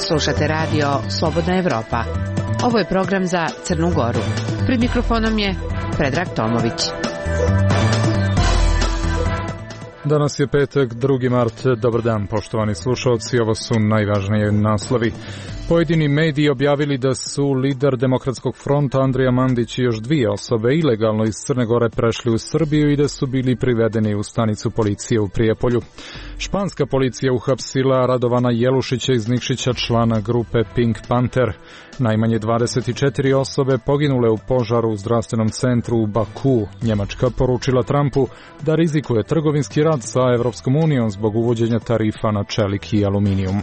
Slušate radio Slobodna Evropa. Ovo je program za Crnu Goru. Pred mikrofonom je Predrag Tomović. Danas je petak, 2. mart. Dobar dan, poštovani slušalci. Ovo su najvažnije naslovi. Pojedini mediji objavili da su lider Demokratskog fronta Andrija Mandić i još dvije osobe ilegalno iz Crne Gore prešli u Srbiju i da su bili privedeni u stanicu policije u Prijepolju. Španska policija uhapsila Radovana Jelušića iz Nikšića, člana grupe Pink Panther. Najmanje 24 osobe poginule u požaru u zdravstvenom centru u Baku. Njemačka poručila Trumpu da rizikuje trgovinski rat sa Evropskom unijom zbog uvođenja tarifa na čelik i aluminijum.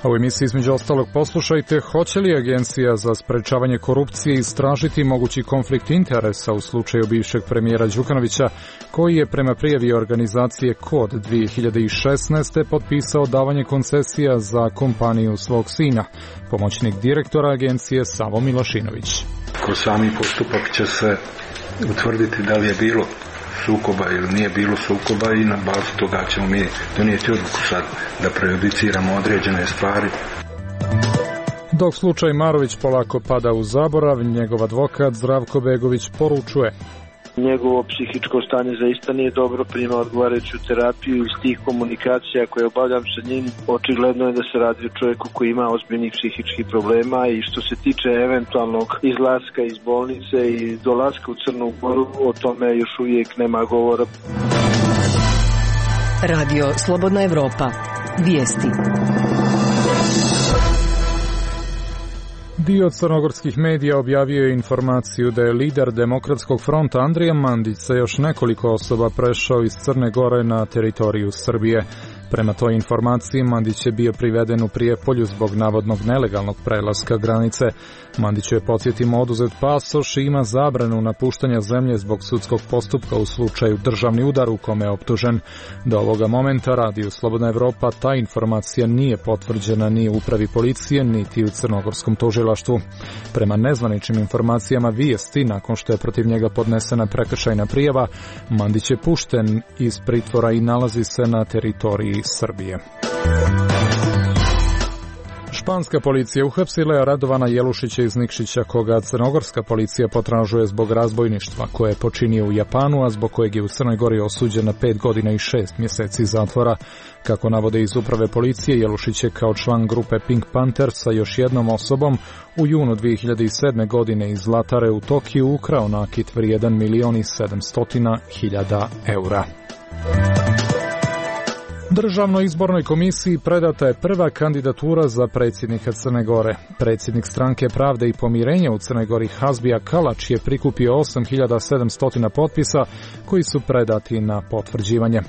A u emisiji između ostalog poslušajte, hoće li Agencija za sprečavanje korupcije istražiti mogući konflikt interesa u slučaju bivšeg premijera Đukanovića, koji je prema prijavi organizacije KOD 2016. potpisao davanje koncesija za kompaniju svog sina. Pomoćnik direktora agencije Savo Milošinović. Kroz sami postupak će se utvrditi da li je bilo sukoba ili nije bilo sukoba i na bazi toga ćemo mi donijeti odluku sad da prejudiciramo određene stvari. Dok slučaj Marović polako pada u zaborav, njegov advokat Zdravko Begović poručuje: njegovo psihičko stanje zaista nije dobro, prima odgovarajuću terapiju. Iz tih komunikacija koje obavljam sa njim, očigledno je da se radi o čovjeku koji ima ozbiljnih psihičkih problema, i što se tiče eventualnog izlaska iz bolnice i dolaska u Crnu Goru, o tome još uvijek nema govora. Radio Slobodna Evropa. Vijesti. Dio crnogorskih medija objavio je informaciju da je lider Demokratskog fronta Andrija Mandić sa još nekoliko osoba prešao iz Crne Gore na teritoriju Srbije. Prema toj informaciji, Mandić je bio priveden u Prijepolju zbog navodnog nelegalnog prelaska granice. Mandiću je, podsjetimo, oduzet pasoš i ima zabranu napuštanja zemlje zbog sudskog postupka u slučaju državni udar u kome je optužen. Do ovoga momenta Radio Slobodna Evropa ta informacija nije potvrđena ni u upravi policije, niti u crnogorskom tužilaštvu. Prema nezvaničnim informacijama Vijesti, nakon što je protiv njega podnesena prekršajna prijava, Mandić je pušten iz pritvora i nalazi se na teritoriji Srbije. Španska policija uhapsila je Radovana Jelušića iz Nikšića, koga crnogorska policija potražuje zbog razbojništva koje je počinio u Japanu, a zbog kojeg je u Crnoj Gori osuđen na 5 godina i 6 mjeseci zatvora. Kako navode iz uprave policije, Jelušić je kao član grupe Pink Panther sa još jednom osobom u junu 2007. godine iz Zlatare u Tokiju ukrao nakit vrijedan 1.700.000 eura. Državnoj izbornoj komisiji predata je prva kandidatura za predsjednika Crne Gore. Predsjednik Stranke Pravde i pomirenja u Crnoj Gori Hazbija Kalač je prikupio 8.700 potpisa koji su predati na potvrđivanje.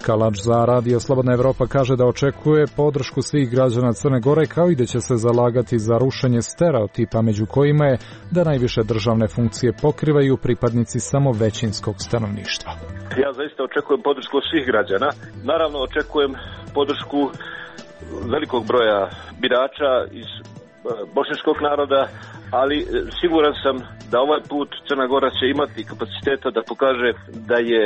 Kalač za Radio Slobodna Evropa kaže da očekuje podršku svih građana Crne Gore, kao i da će se zalagati za rušenje stereotipa među kojima je da najviše državne funkcije pokrivaju pripadnici samo većinskog stanovništva. Ja zaista očekujem podršku svih građana. Naravno očekujem podršku velikog broja birača iz bošnjačkog naroda, ali siguran sam da ovaj put Crna Gora će imati kapaciteta da pokaže da je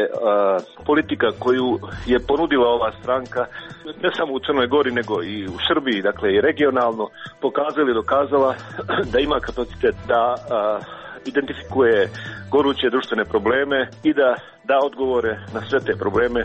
politika koju je ponudila ova stranka, ne samo u Crnoj Gori nego i u Srbiji, dakle i regionalno, pokazala i dokazala da ima kapacitet da identifikuje goruće društvene probleme i da da odgovore na sve te probleme.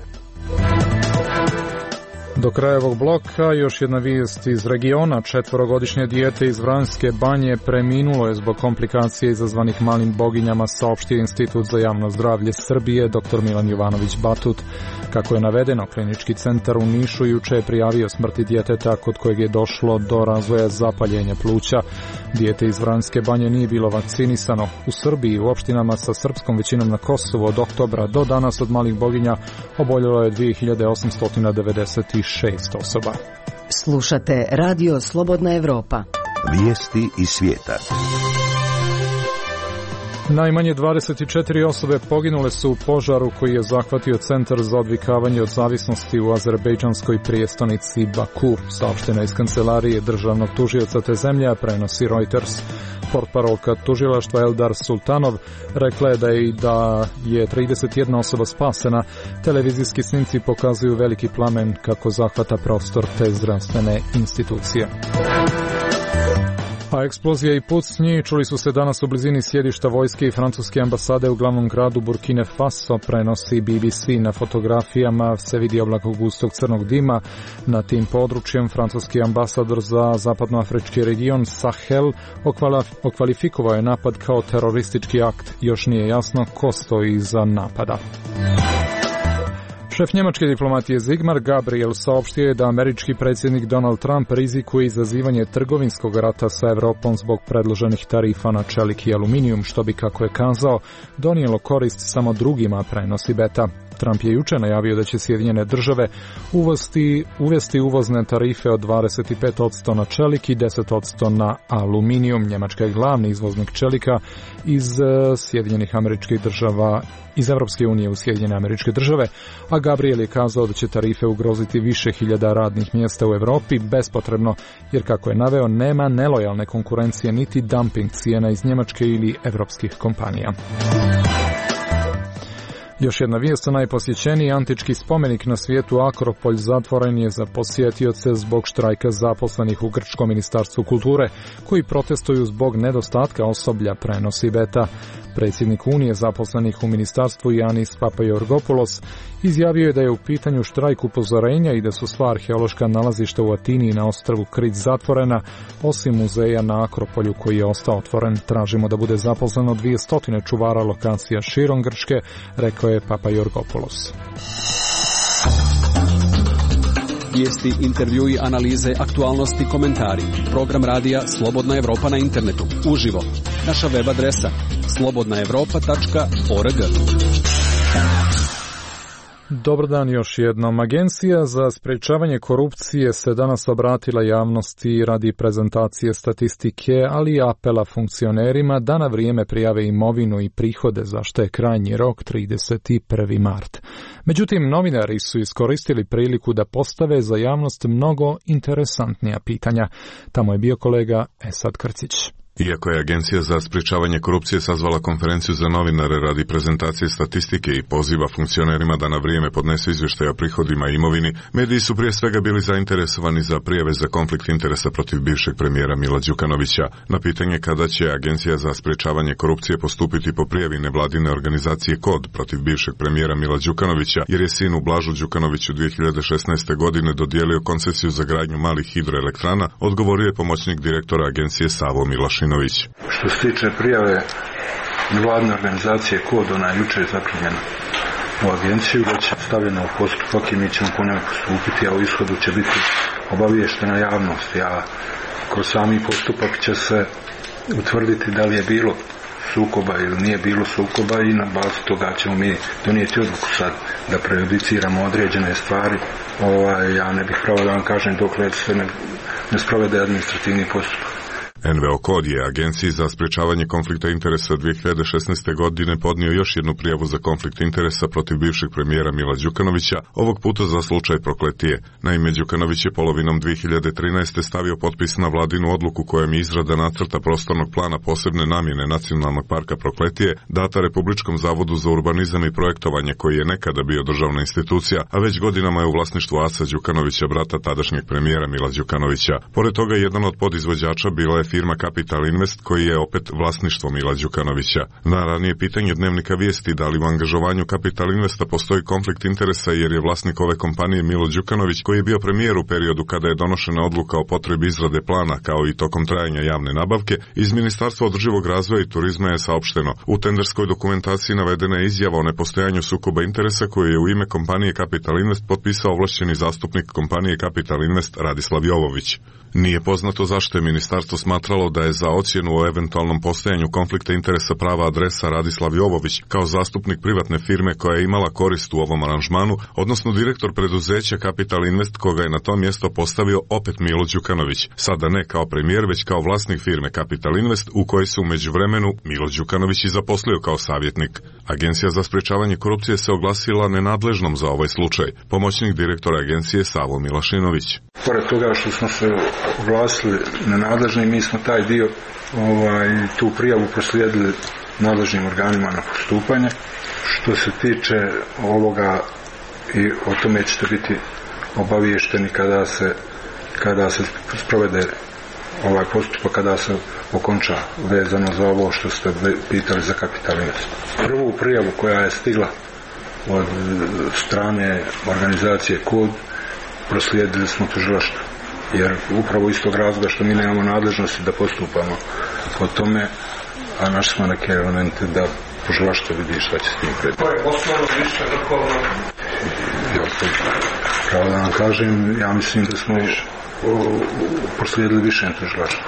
Do kraja ovog bloka još jedna vijest iz regiona. 4-godišnje dijete iz Vranjske Banje preminulo je zbog komplikacije izazvanih malim boginjama, saopštio Institut za javno zdravlje Srbije dr. Milan Jovanović Batut. Kako je navedeno, klinički centar u Nišu juče je prijavio smrti djeteta kod kojeg je došlo do razvoja zapaljenja pluća. Dijete iz Vranjske Banje nije bilo vakcinisano. U Srbiji, u opštinama sa srpskom većinom na Kosovu, od oktobra do danas od malih boginja oboljelo je 2896 osoba. Slušate Radio Slobodna Evropa. Vijesti iz svijeta. Najmanje 24 osobe poginule su u požaru koji je zahvatio Centar za odvikavanje od zavisnosti u azerbejdžanskoj prijestonici Baku, saopšteno iz kancelarije državnog tužioca te zemlje, prenosi Reuters. Portparolka tužilaštva Eldar Sultanov rekla je da je 31 osoba spasena. Televizijski snimci pokazuju veliki plamen kako zahvata prostor te zdravstvene institucije. A eksplozija i pucnji čuli su se danas u blizini sjedišta vojske i francuske ambasade u glavnom gradu Burkine Faso, prenosi BBC. Na fotografijama se vidi oblak gustog crnog dima. Na tim područjem francuski ambasador za zapadnoafrički region Sahel okvalifikovao je napad kao teroristički akt. Još nije jasno ko stoji iza napada. Šef njemačke diplomatije Sigmar Gabriel saopštio je da američki predsjednik Donald Trump rizikuje izazivanje trgovinskog rata sa Evropom zbog predloženih tarifa na čelik i aluminijum, što bi, kako je kazao, donijelo korist samo drugima, prenosi Beta. Trump je juče najavio da će Sjedinjene države uvesti uvozne tarife od 25% na čelik i 10% na aluminijum. Njemačka je glavni izvoznik čelika iz Sjedinjenih američkih država, iz Evropske unije u Sjedinjene američke države, a Gabriel je kazao da će tarife ugroziti više hiljada radnih mjesta u Europi bespotrebno, jer, kako je naveo, nema nelojalne konkurencije niti dumping cijena iz Njemačke ili evropskih kompanija. Još jedna vijest, najposjećeniji antički spomenik na svijetu Akropolj zatvoren je za posjetioce zbog štrajka zaposlenih u Grčkom ministarstvu kulture, koji protestuju zbog nedostatka osoblja, prenosi Beta. Predsjednik Unije zaposlenih u ministarstvu Yanis Papaiorgopoulos izjavio je da je u pitanju štrajk upozorenja i da su sva arheološka nalazišta u Atini i na ostrvu Krit zatvorena, osim muzeja na Akropolju koji je ostao otvoren. Tražimo da bude zaposleno 200 čuvara lokacija širom Grčke, rekao je Papaiorgopoulos. Vijesti, intervjui, analize, aktualnosti, komentari. Program radija Slobodna Evropa na internetu. Uživo. Naša web adresa slobodnaevropa.org. Dobar dan još jednom. Agencija za sprečavanje korupcije se danas obratila javnosti radi prezentacije statistike, ali i apela funkcionerima da na vrijeme prijave imovinu i prihode, za što je krajnji rok 31. mart. Međutim, novinari su iskoristili priliku da postave za javnost mnogo interesantnija pitanja. Tamo je bio kolega Esad Krcić. Iako je Agencija za sprečavanje korupcije sazvala konferenciju za novinare radi prezentacije statistike i poziva funkcionerima da na vrijeme podnesu izvještaj o prihodima i imovini, mediji su prije svega bili zainteresovani za prijave za konflikt interesa protiv bivšeg premijera Mila Đukanovića. Na pitanje kada će Agencija za sprečavanje korupcije postupiti po prijavi nevladine organizacije KOD protiv bivšeg premijera Mila Đukanovića, jer je sinu Blažu Đukanoviću 2016. godine dodijelio koncesiju za gradnju malih hidroelektrana, odgovorio je pomoćnik direktora agencije Savo Milašin. Što se tiče prijave nevladine organizacije KOD, ona je juče zaprimljena u agenciju, da će stavljena u postupak i mi ćemo po njoj postupiti, a u ishodu će biti obaviještena javnost. Kroz sami postupak će se utvrditi da li je bilo sukoba ili nije bilo sukoba i na bazi toga ćemo mi donijeti odluku sad da prejudiciramo određene stvari. Ja ne bih pravo da vam kažem dokle se ne sprovede administrativni postupak. NVO KOD je Agenciji za sprečavanje konflikta interesa 2016. godine podnio još jednu prijavu za konflikt interesa protiv bivšeg premijera Mila Đukanovića, ovog puta za slučaj Prokletije. Naime, Đukanović je polovinom 2013. stavio potpis na vladinu odluku kojom je izrada nacrta prostornog plana posebne namjene Nacionalnog parka Prokletije data Republičkom zavodu za urbanizam i projektovanje, koji je nekada bio državna institucija, a već godinama je u vlasništvu Aca Đukanovića, brata tadašnjeg premijera Mila Đukanovića. Pored toga, jedan od podizvođača bila je firma Capital Invest, koji je opet vlasništvo Mila Đukanovića. Na ranije pitanje Dnevnika Vijesti da li u angažovanju Capital Investa postoji konflikt interesa jer je vlasnik ove kompanije Milo Đukanović, koji je bio premijer u periodu kada je donošena odluka o potrebi izrade plana kao i tokom trajanja javne nabavke, iz Ministarstva održivog razvoja i turizma je saopšteno. U tenderskoj dokumentaciji navedena je izjava o nepostojanju sukoba interesa koju je u ime kompanije Capital Invest potpisao ovlašćeni zastupnik kompanije Capital Invest Radislav Jovović. Nije poznato zašto je ministarstvo smatralo smatralo da je za ocjenu o eventualnom postojanju konflikta interesa prava adresa Radislav Jovović kao zastupnik privatne firme koja je imala korist u ovom aranžmanu, odnosno direktor preduzeća Capital Invest koga je na to mjesto postavio opet Milo Đukanović, sada ne kao premijer već kao vlasnik firme Capital Invest u kojoj se u međuvremenu Milo Đukanović i zaposlio kao savjetnik. Agencija za sprečavanje korupcije se oglasila nenadležnom za ovaj slučaj. Pomoćnik direktora agencije Savo Milašinović. Pored toga što smo se oglasili nenadležni, mi smo taj dio, tu prijavu proslijedili nadležnim organima na postupanje. Što se tiče ovoga, i o tome ćete biti obaviješteni kada se sprovede ovaj postupak, kada se okonča vezano za ovo što ste pitali za Capital Invest. Prvu prijavu koja je stigla od strane organizacije KOD proslijedili smo tužilaštvu, jer upravo iz tog razloga što mi nemamo nadležnosti da postupamo po tome, a našli smo neke elemente da tužilaštvo vidi šta će s tim predati. To je osnovno više vrhovno? Pravo da vam kažem, ja mislim da smo proslijedili više tužilaštvu.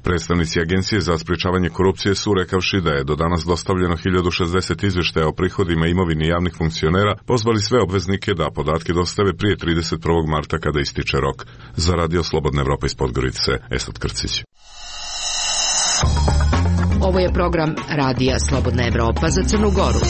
Predstavnici Agencije za sprečavanje korupcije su, rekavši da je do danas dostavljeno 1060 izvještaja o prihodima i imovini javnih funkcionera, pozvali sve obveznike da podatke dostave prije 31. marta kada ističe rok. Za Radio Slobodna Evropa iz Podgorice, Esad Krcić. Ovo je program Radija Slobodna Evropa za Crnu Goru.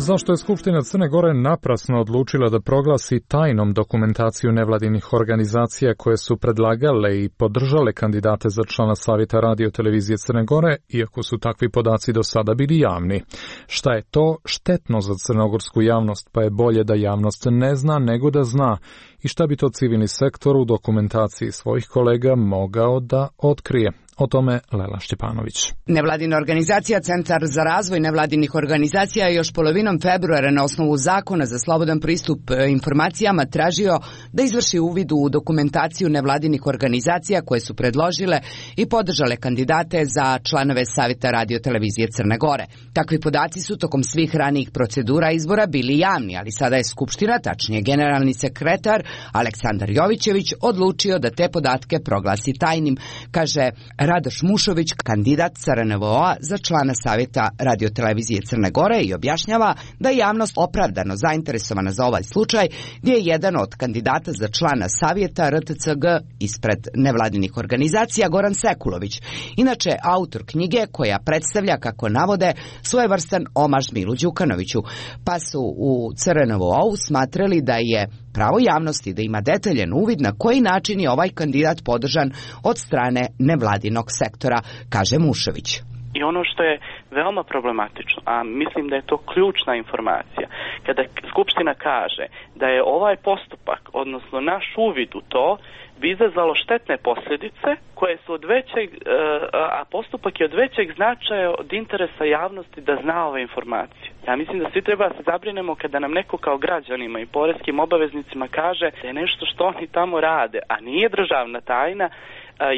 Zašto je Skupština Crne Gore naprasno odlučila da proglasi tajnom dokumentaciju nevladinih organizacija koje su predlagale i podržale kandidate za člana Savjeta Radio televizije Crne Gore, iako su takvi podaci do sada bili javni? Šta je to štetno za crnogorsku javnost, pa je bolje da javnost ne zna nego da zna? I šta bi to civilni sektor u dokumentaciji svojih kolega mogao da otkrije? O tome Lela Šćepanović. Nevladina organizacija Centar za razvoj nevladinih organizacija je još polovinom februara na osnovu zakona za slobodan pristup informacijama tražio da izvrši uvid u dokumentaciju nevladinih organizacija koje su predložile i podržale kandidate za članove Savjeta Radio televizije Crne Gore. Takvi podaci su tokom svih ranijih procedura izbora bili javni, ali sada je Skupština, tačnije generalni sekretar Aleksandar Jovićević, odlučio da te podatke proglasi tajnim, kaže Radoš Mušović, kandidat CRNVO-a za člana Savjeta radiotelevizije Crne Gore, i objašnjava da je javnost opravdano zainteresovana za ovaj slučaj, gdje je jedan od kandidata za člana Savjeta RTCG ispred nevladinih organizacija Goran Sekulović, inače autor knjige koja predstavlja, kako navode, svojevrstan omaž Milu Đukanoviću, pa su u CRNVO-u smatrali da je pravo javnosti da ima detaljan uvid na koji način je ovaj kandidat podržan od strane nevladinog sektora, kaže Mušović. I ono što je veoma problematično, a mislim da je to ključna informacija, kada Skupština kaže da je ovaj postupak, odnosno naš uvid u to, bi izazvalo štetne posljedice koje su od većeg, a postupak je od većeg značaja od interesa javnosti da zna ove informacije. Ja mislim da svi treba da se zabrinemo kada nam neko kao građanima i poreskim obaveznicima kaže da je nešto što oni tamo rade, a nije državna tajna,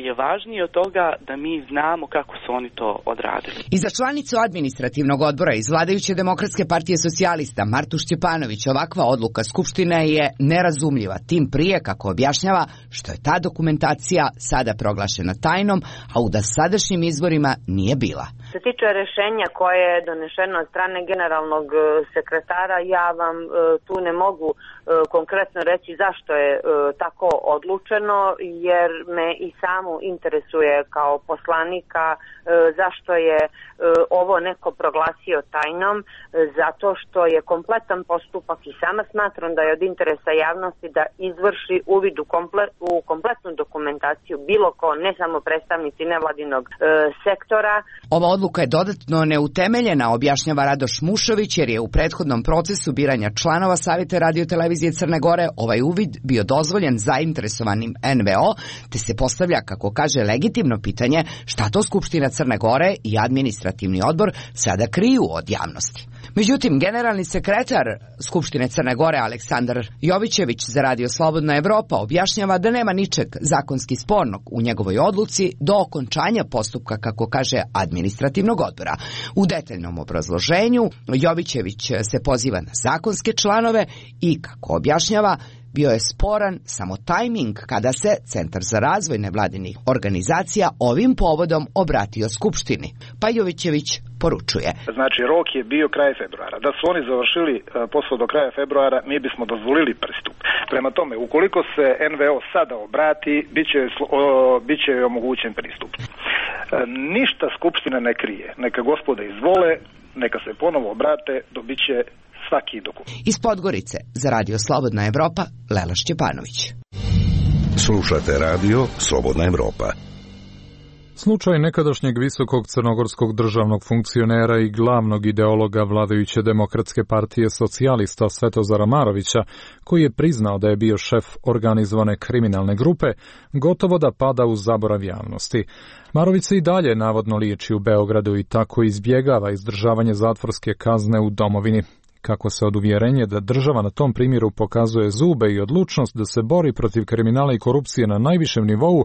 je važnije od toga da mi znamo kako su oni to odradili. I za članicu administrativnog odbora iz vladajuće Demokratske partije socijalista Martu Šćepanović ovakva odluka Skupštine je nerazumljiva, tim prije, kako objašnjava, što je ta dokumentacija sada proglašena tajnom, a u dosadašnjim izborima nije bila. Što se tiče rješenja koje je donešeno od strane generalnog sekretara, ja vam tu ne mogu konkretno reći zašto je tako odlučeno, jer me i samu interesuje kao poslanika zašto je ovo neko proglasio tajnom, zato što je kompletan postupak i sama smatram da je od interesa javnosti da izvrši uvid u kompletnu dokumentaciju bilo ko, ne samo predstavnici nevladinog sektora. Ova odluka je dodatno neutemeljena, objašnjava Radoš Mušović, jer je u prethodnom procesu biranja članova Savjeta radiotelevizije Crne Gore ovaj uvid bio dozvoljen zainteresovanim NVO, te se postavlja, kako kaže, legitimno pitanje šta to Skupština Crne Gore i administrativni odbor sada kriju od javnosti. Međutim, generalni sekretar Skupštine Crne Gore Aleksandar Jovićević za Radio Slobodna Evropa objašnjava da nema ničeg zakonski spornog u njegovoj odluci do okončanja postupka, kako kaže, administrativnog odbora. U detaljnom obrazloženju Jovićević se poziva na zakonske članove i, kako objašnjava, Bio je sporan samo tajming kada se Centar za razvoj nevladinih organizacija ovim povodom obratio Skupštini. Pajovićević poručuje. Znači, rok je bio kraj februara. Da su oni završili posao do kraja februara, mi bismo dozvolili pristup. Prema tome, ukoliko se NVO sada obrati, bit će omogućen pristup. Ništa Skupština ne krije. Neka gospoda izvole, neka se ponovo obrate, dobit će svaki dokument. Iz Podgorice za Radio Slobodna Evropa, Lela Šćepanović. Slušate Radio Slobodna Evropa. Slučaj nekadašnjeg visokog crnogorskog državnog funkcionera i glavnog ideologa vladajuće Demokratske partije socijalista Svetozara Marovića, koji je priznao da je bio šef organizovane kriminalne grupe, gotovo da pada u zaborav javnosti. Marović se i dalje navodno liječi u Beogradu i tako izbjegava izdržavanje zatvorske kazne u domovini. Kako se od uvjerenja da država na tom primjeru pokazuje zube i odlučnost da se bori protiv kriminala i korupcije na najvišem nivou,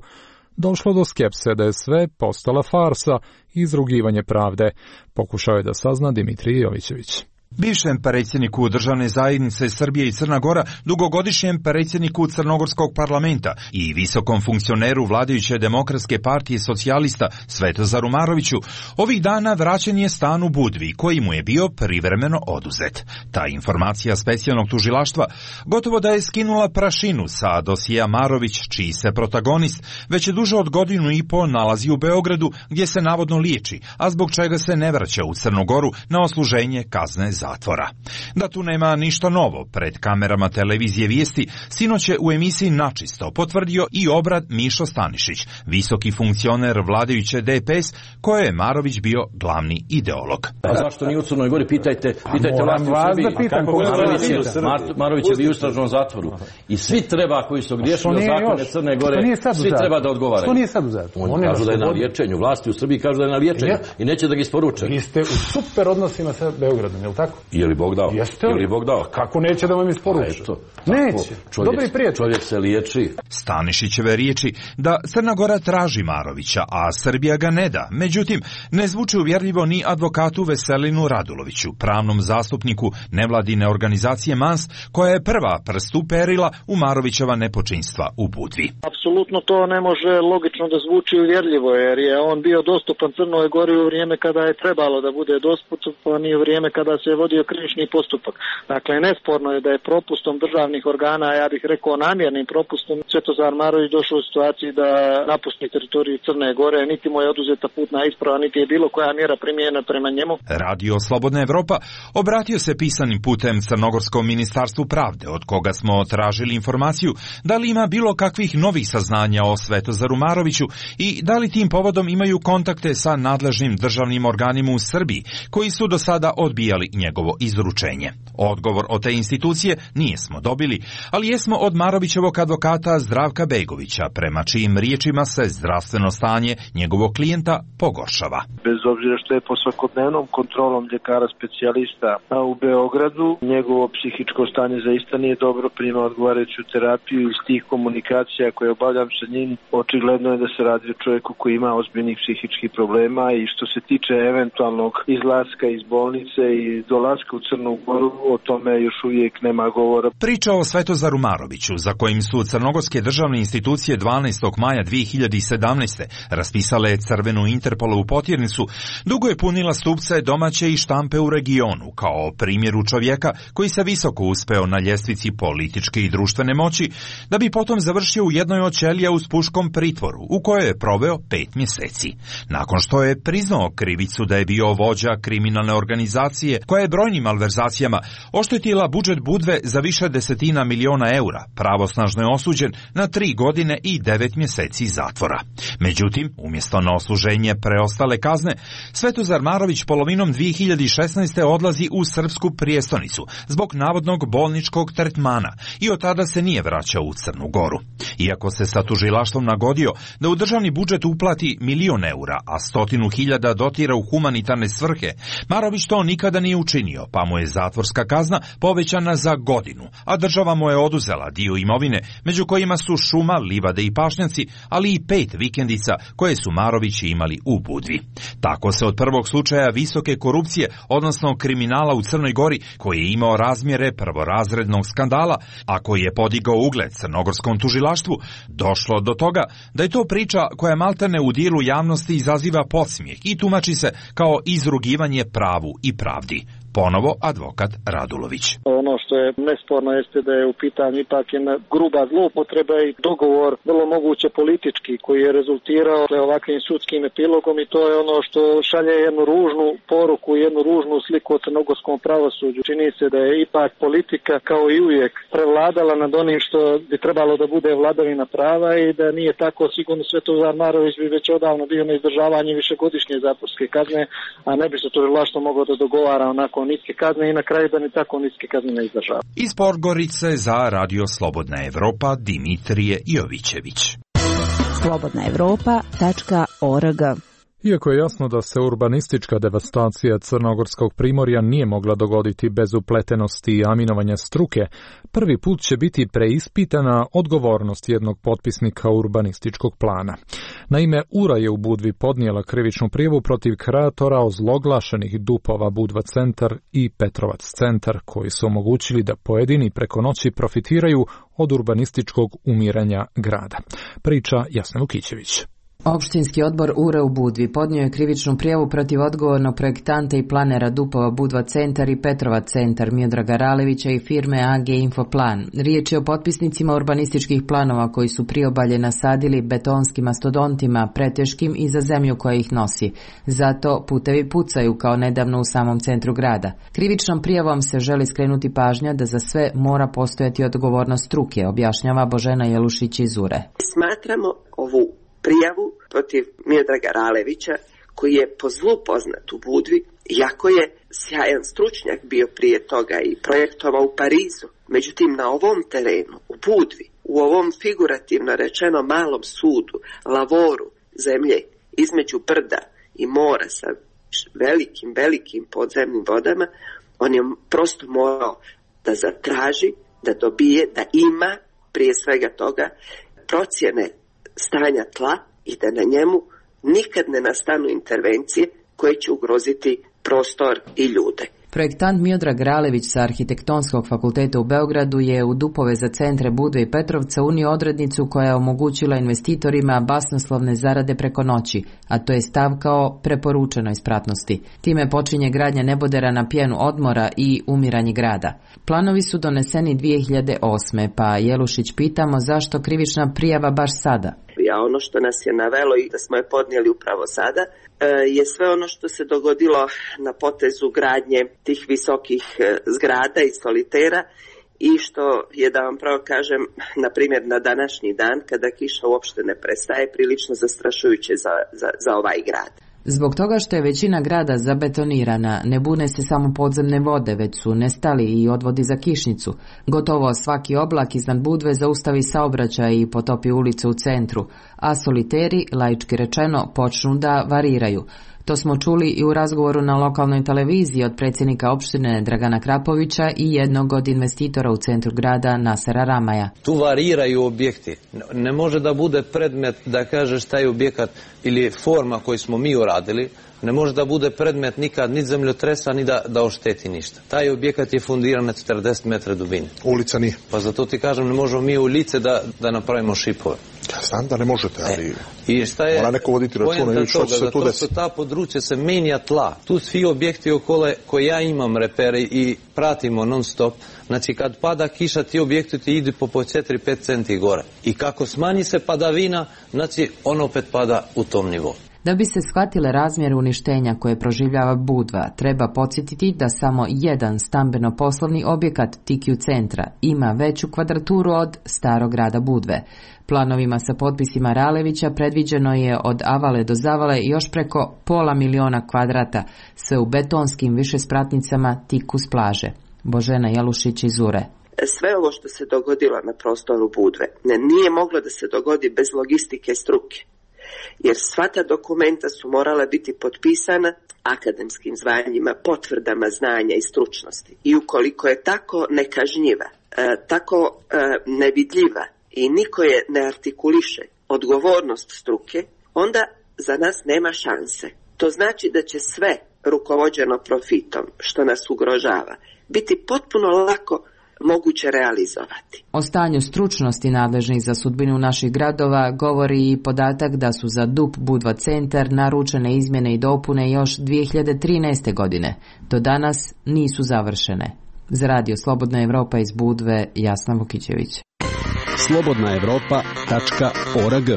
došlo do skepse da je sve postala farsa i izrugivanje pravde, pokušao je da sazna Dimitrij Jovićević. Bivšem predsjedniku državne zajednice Srbije i Crna Gora, dugogodišnjem predsjedniku Crnogorskog parlamenta i visokom funkcioneru vladajuće Demokratske partije socijalista Svetozaru Maroviću, ovih dana vraćen je stan u Budvi, koji mu je bio privremeno oduzet. Ta informacija specijalnog tužilaštva gotovo da je skinula prašinu sa dosija Marović, čiji se protagonist već je duže od godinu i po nalazi u Beogradu, gdje se navodno liječi, a zbog čega se ne vraća u Crnu Goru na odsluženje kazne zatvora. Da tu nema ništa novo, pred kamerama televizije Vijesti sinoć je u emisiji Načisto potvrdio i obrad Mišo Stanišić, visoki funkcioner vladajuće DPS, koje je Marović bio glavni ideolog. A zašto nije u Crnoj Gori? Pitajte vlasti u Srbiji. Marović je bio u istražnom zatvoru. I svi treba, koji su griješili zakone Crne Gore, svi treba da odgovaraju. Što nije sad u zatvoru? Oni kažu da je na liječenju. Vlasti u Srbiji kažu da je na liječenju i neće da ga isporuče. Vi ste u super odnosima sa Beogradom, je li tako? Je li Bog dao? Jeste li Bog dao? Kako neće da vam isporuči? Neće. Dobri prijatelj. Čovjek se liječi. Stanišićeve riječi da Crna Gora traži Marovića, a Srbija ga ne da. Međutim, ne zvuči uvjerljivo ni advokatu Veselinu Raduloviću, pravnom zastupniku nevladine organizacije MANS, koja je prva prst uperila u Marovićeva nepočinstva u Budvi. Apsolutno to ne može logično da zvuči uvjerljivo, jer je on bio dostupan Crnoj Gori u vrijeme kada je trebalo da bude dostupan i u vrijeme kada se je vodio krivični postupak. Dakle, nesporno je da je propustom državnih organa, ja bih rekao namjernim propustom, Svetozar Marović došao u situaciji da napusti teritoriju Crne Gore, niti mu je oduzeta putna isprava, niti je bilo koja mjera primijenjena prema njemu. Radio Slobodna Evropa obratio se pisanim putem Crnogorskom ministarstvu pravde, od koga smo tražili informaciju da li ima bilo kakvih novih saznanja o Svetozaru Maroviću i da li tim povodom imaju kontakte sa nadležnim državnim organima u Srbiji, koji su do sada odbijali njegovo izručenje. Odgovor od te institucije nijesmo dobili, ali jesmo od Marovićevog advokata Zdravka Begovića, prema čijim riječima se zdravstveno stanje njegovog klijenta pogoršava. Bez obzira što je po svakodnevnom kontrolom ljekara specijalista u Beogradu, njegovo psihičko stanje zaista nije dobro, prima odgovarajuću terapiju. Iz tih komunikacija koje obavljam sa njim, očigledno je da se radi o čovjeku koji ima ozbiljnih psihičkih problema, i što se tiče eventualnog izlaska iz bolnice i dolaska u Crnu Goru, o tome još uvijek nema govora. Priča o Svetozaru Maroviću, za kojim su crnogorske državne institucije 12. maja 2017. raspisale crvenu Interpolovu potjernicu, dugo je punila stupce domaće i štampe u regionu, kao primjeru čovjeka koji se visoko uspeo na ljestvici političke i društvene moći, da bi potom završio u jednoj od ćelija u Spuškom pritvoru, u kojoj je proveo 5 mjeseci. Nakon što je priznao krivicu da je bio vođa kriminalne organizacije koja je brojnim malverzacijama oštetila budžet Budve za više desetina miliona eura, pravosnažno je osuđen na 3 godine i 9 mjeseci zatvora. Međutim, umjesto na odsluženje preostale kazne, Svetozar Marović polovinom 2016. odlazi u srpsku prijestolnicu zbog navodnog bolničkog tretmana i od tada se nije vraćao u Crnu Goru. Iako se sa tužilaštvom nagodio da u državni budžet uplati 1.000.000 eura, a 100.000 dotira u humanitarne svrhe, Marović to nikada nije učinio. počinio, pa mu je zatvorska kazna povećana za godinu, a država mu je oduzela dio imovine, među kojima su šuma, livade i pašnjaci, ali i 5 vikendica koje su Marovići imali u Budvi. Tako se od prvog slučaja visoke korupcije, odnosno kriminala u Crnoj Gori, koji je imao razmjere prvorazrednog skandala, a koji je podigao ugled crnogorskom tužilaštvu, došlo do toga da je to priča koja maltene u dijelu javnosti izaziva podsmijeh i tumači se kao izrugivanje pravu i pravdi. Ponovo advokat Radulović. Ono što je nesporno jeste da je u pitanju ipak jedna gruba zloupotreba i dogovor vrlo moguće politički koji je rezultirao ovakvim sudskim epilogom i to je ono što šalje jednu ružnu poruku, jednu ružnu sliku o crnogorskom pravosuđu. Čini se da je ipak politika kao i uvijek prevladala nad onim što bi trebalo da bude vladavina prava i da nije tako sigurno Svetozar Marović bi već odavno bio na izdržavanju višegodišnje zatvorske kazne, a ne bi se tužilaštvo moglo da dogovara onako niske kazne i na kraju da ni tako niske kazne ne izdržava. Iz Podgorice za Radio Slobodna Evropa Dimitrije Jovićević. slobodnaevropa.org. Iako je jasno da se urbanistička devastacija crnogorskog primorja nije mogla dogoditi bez upletenosti i aminovanja struke, prvi put će biti preispitana odgovornost jednog potpisnika urbanističkog plana. Naime, URA je u Budvi podnijela krivičnu prijavu protiv kreatora ozloglašenih dupova Budva centar i Petrovac centar, koji su omogućili da pojedini preko noći profitiraju od urbanističkog umiranja grada. Priča Jasna Lukićević. Opštinski odbor URA u Budvi podnio je krivičnu prijavu protiv odgovornog projektanta i planera dupova Budva centar i Petrovac centar Miodraga Ralevića i firme AG Infoplan. Riječ je o potpisnicima urbanističkih planova koji su priobalje nasadili betonskim mastodontima, preteškim i za zemlju koja ih nosi. Zato putevi pucaju kao nedavno u samom centru grada. Krivičnom prijavom se želi skrenuti pažnja da za sve mora postojati odgovornost struke, objašnjava Božena Jelušić iz URE. Smatramo ovu prijavu protiv Miodraga Ralevića, koji je po zlu poznat u Budvi, iako je sjajan stručnjak bio prije toga i projektovao u Parizu. Međutim, na ovom terenu, u Budvi, u ovom figurativno rečeno malom sudu, lavoru zemlje između brda i mora sa velikim podzemnim vodama, on je prosto morao da zatraži, da dobije, da ima prije svega toga procjene stanja tla i da na njemu nikad ne nastanu intervencije koje će ugroziti prostor i ljude. Projektant Miodrag Ralević sa Arhitektonskog fakulteta u Beogradu je u dupove za centre Budve i Petrovca unio odrednicu koja je omogućila investitorima basnoslovne zarade preko noći, a to je stav kao preporučenoj spratnosti. Time počinje gradnja nebodera na pjenu odmora i umiranje grada. Planovi su doneseni 2008. pa Jelušić pitamo zašto krivična prijava baš sada. A ono što nas je navelo i da smo je podnijeli upravo sada je sve ono što se dogodilo na potezu gradnje tih visokih zgrada i solitera i što je, da vam pravo kažem, na primjer na današnji dan kada kiša uopšte ne prestaje, prilično zastrašujuće za ovaj grad. Zbog toga što je većina grada zabetonirana, ne bune se samo podzemne vode, već su nestali i odvodi za kišnicu. Gotovo svaki oblak iznad Budve zaustavi saobraćaj i potopi ulice u centru, a soliteri, laički rečeno, počnu da variraju. To smo čuli i u razgovoru na lokalnoj televiziji od predsjednika opštine Dragana Krapovića i jednog od investitora u centru grada Nasera Ramaja. Tu variraju objekti. Ne može da bude predmet da kažeš taj objekat ili forma koju smo mi uradili, ne može da bude predmet nikad ni zemljotresa ni da ošteti ništa. Taj objekat je fundiran na 40 metra dubine. Ulica nije. Pa zato ti kažem, ne možemo mi u lice da napravimo šipove. Ja znam da ne možete, ali i šta je mora neko voditi računa i što će se tu desiti. Zato ta područja se menja tla. Tu svi objekti okolo koje ja imam repere i pratimo non stop. Znači kad pada kiša ti objekti ti idu po 4-5 centi gore. I kako smanji se padavina, znači on opet pada u tom nivou. Da bi se shvatile razmjere uništenja koje proživljava Budva, treba podsjetiti da samo jedan stambeno-poslovni objekat Tikiju centra ima veću kvadraturu od starog grada Budve. Planovima sa potpisima Ralevića predviđeno je od avale do zavale još preko 500.000 kvadrata, sve u betonskim višespratnicama tik uz plaže. Božena Jelušić iz URE. Sve ovo što se dogodilo na prostoru Budve nije moglo da se dogodi bez logistike struke. jer sva ta dokumenta su morala biti potpisana akademskim zvanjima, potvrdama znanja i stručnosti. I ukoliko je tako nekažnjiva, tako nevidljiva i niko je ne artikuliše odgovornost struke, onda za nas nema šanse. To znači da će sve rukovođeno profitom, što nas ugrožava, biti potpuno lako moguće realizovati. O stanju stručnosti nadležnih za sudbinu naših gradova govori i podatak da su za DUP Budva centar naručene izmjene i dopune još 2013. godine. Do danas nisu završene. Za Radio Slobodna Evropa iz Budve, Jasna Vukićević. slobodnaevropa.org.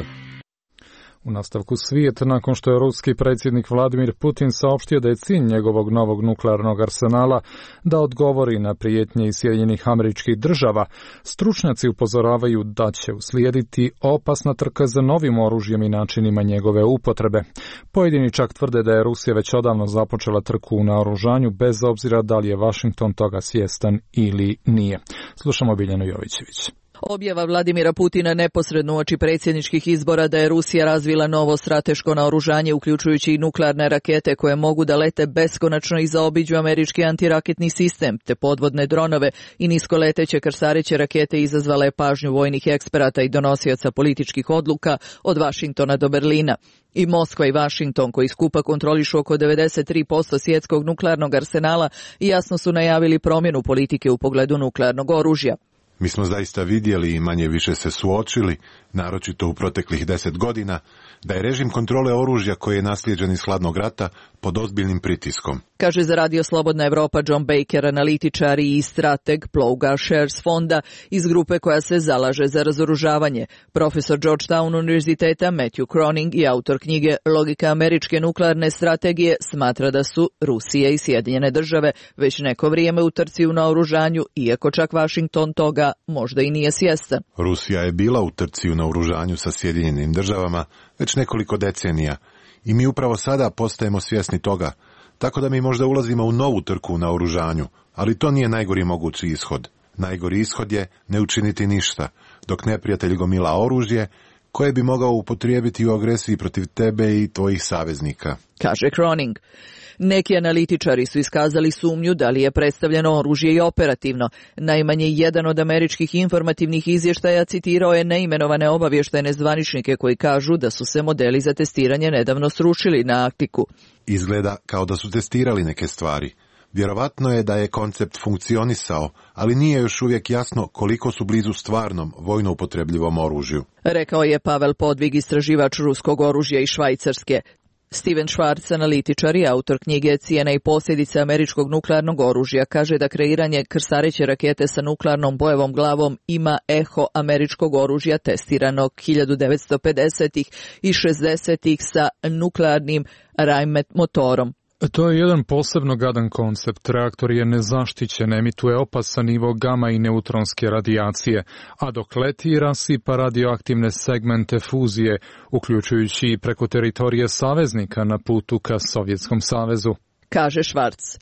U nastavku svijet, nakon što je ruski predsjednik Vladimir Putin saopštio da je cilj njegovog novog nuklearnog arsenala da odgovori na prijetnje iz Sjedinjenih Američkih Država, stručnjaci upozoravaju da će uslijediti opasna trka za novim oružjem i načinima njegove upotrebe. Pojedini čak tvrde da je Rusija već odavno započela trku u naoružanju, bez obzira da li je Washington toga svjestan ili nije. Slušamo Biljanu Jovićević. Objava Vladimira Putina neposredno uoči predsjedničkih izbora da je Rusija razvila novo strateško naoružanje, uključujući i nuklearne rakete koje mogu da lete beskonačno i zaobiđu američki antiraketni sistem, te podvodne dronove i niskoleteće krstareće rakete, izazvala je pažnju vojnih eksperata i donosioca političkih odluka od Vašingtona do Berlina. I Moskva i Vašington, koji skupa kontrolišu oko 93% svjetskog nuklearnog arsenala, jasno su najavili promjenu politike u pogledu nuklearnog oružja. Mi smo zaista vidjeli i manje više se suočili, naročito u proteklih 10 godina, da je režim kontrole oružja koji je naslijeđen iz hladnog rata pod ozbiljnim pritiskom. Kaže za Radio Slobodna Evropa John Baker, analitičar i strateg Plouga Shares fonda iz grupe koja se zalaže za razoružavanje. Profesor Georgetown univerziteta Matthew Croning i autor knjige Logika američke nuklearne strategije smatra da su Rusija i Sjedinjene Države već neko vrijeme u trci u naoružanju, iako čak Washington toga možda i nije svjestan. Rusija je bila u trci u naoružanju sa Sjedinjenim Državama već nekoliko decenija i mi upravo sada postajemo svjesni toga, tako da mi možda ulazimo u novu trku u naoružanju, ali to nije najgori mogući ishod. Najgori ishod je ne učiniti ništa, dok neprijatelj gomila oružje koje bi mogao upotrijebiti u agresiji protiv tebe i tvojih saveznika. Kaže Croning. Neki analitičari su iskazali sumnju da li je predstavljeno oružje i operativno. Najmanje jedan od američkih informativnih izvještaja citirao je neimenovane obavještajne zvaničnike koji kažu da su se modeli za testiranje nedavno srušili na Arktiku. Izgleda kao da su testirali neke stvari. Vjerovatno je da je koncept funkcionisao, ali nije još uvijek jasno koliko su blizu stvarnom vojno upotrebljivom oružju. Rekao je Pavel Podvig, istraživač ruskog oružja iz Švajcarske. Steven Schwartz, analitičar i autor knjige Cijena i posljedice američkog nuklearnog oružja, kaže da kreiranje krstareće rakete sa nuklearnom bojevom glavom ima eho američkog oružja testiranog 1950-ih i 60-ih sa nuklearnim Rheinmetall motorom. To je jedan posebno gadan koncept. Reaktor je nezaštićen, emituje opasan nivo gama i neutronske radijacije, a dok leti rasipa radioaktivne segmente fuzije, uključujući i preko teritorije saveznika na putu ka Sovjetskom savezu. Kaže Schwartz.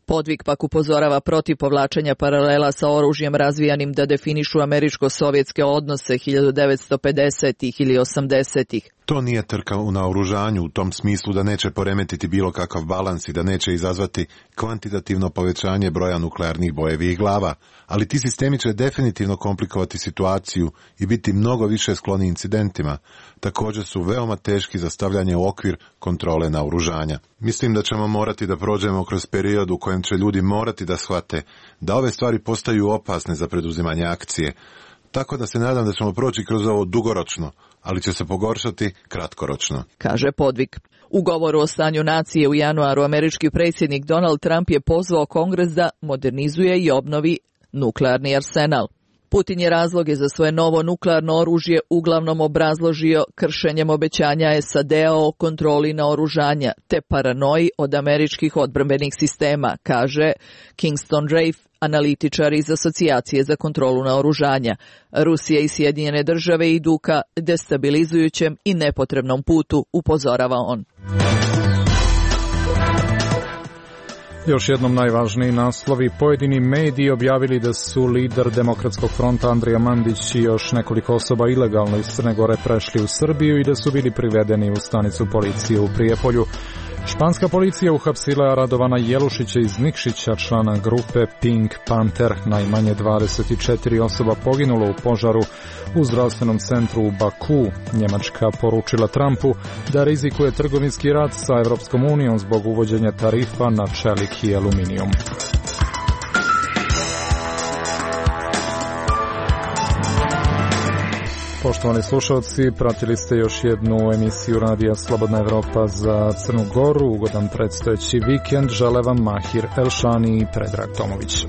Podvig pak upozorava protiv povlačenja paralela sa oružjem razvijanim da definišu američko-sovjetske odnose 1950-ih ili 80-ih. To nije trka u naoružanju u tom smislu da neće poremetiti bilo kakav balans i da neće izazvati kvantitativno povećanje broja nuklearnih bojevih glava, ali ti sistemi će definitivno komplikovati situaciju i biti mnogo više skloni incidentima. Također su veoma teški za stavljanje u okvir kontrole naoružanja. Mislim da ćemo morati da prođemo kroz period u kojem će ljudi morati da shvate da ove stvari postaju opasne za preduzimanje akcije. Tako da se nadam da ćemo proći kroz ovo dugoročno, ali će se pogoršati kratkoročno. Kaže Podvig. U govoru o stanju nacije u januaru američki predsjednik Donald Trump je pozvao Kongres da modernizuje i obnovi nuklearni arsenal. Putin je razloge za svoje novo nuklearno oružje uglavnom obrazložio kršenjem obećanja SAD-a o kontroli naoružanja te paranoji od američkih odbrambenih sistema, kaže Kingston Rafe, analitičar iz Asocijacije za kontrolu naoružanja. Rusija i Sjedinjene Države idu ka destabilizujućem i nepotrebnom putu, upozorava on. Još jednom najvažniji naslovi. Pojedini mediji objavili da su lider Demokratskog fronta Andrija Mandić i još nekoliko osoba ilegalno iz Crne Gore prešli u Srbiju i da su bili privedeni u stanicu policije u Prijepolju. Španska policija uhapsila Radovana Jelušića iz Nikšića, člana grupe Pink Panther. Najmanje 24 osoba poginulo u požaru u zdravstvenom centru u Baku. Njemačka poručila Trumpu da rizikuje trgovinski rat sa Evropskom unijom zbog uvođenja tarifa na čelik i aluminijum. Poštovani slušalci, pratili ste još jednu emisiju Radija Slobodna Evropa za Crnu Goru. Ugodan predstojeći vikend žele vam Mahir Elšani i Predrag Tomović.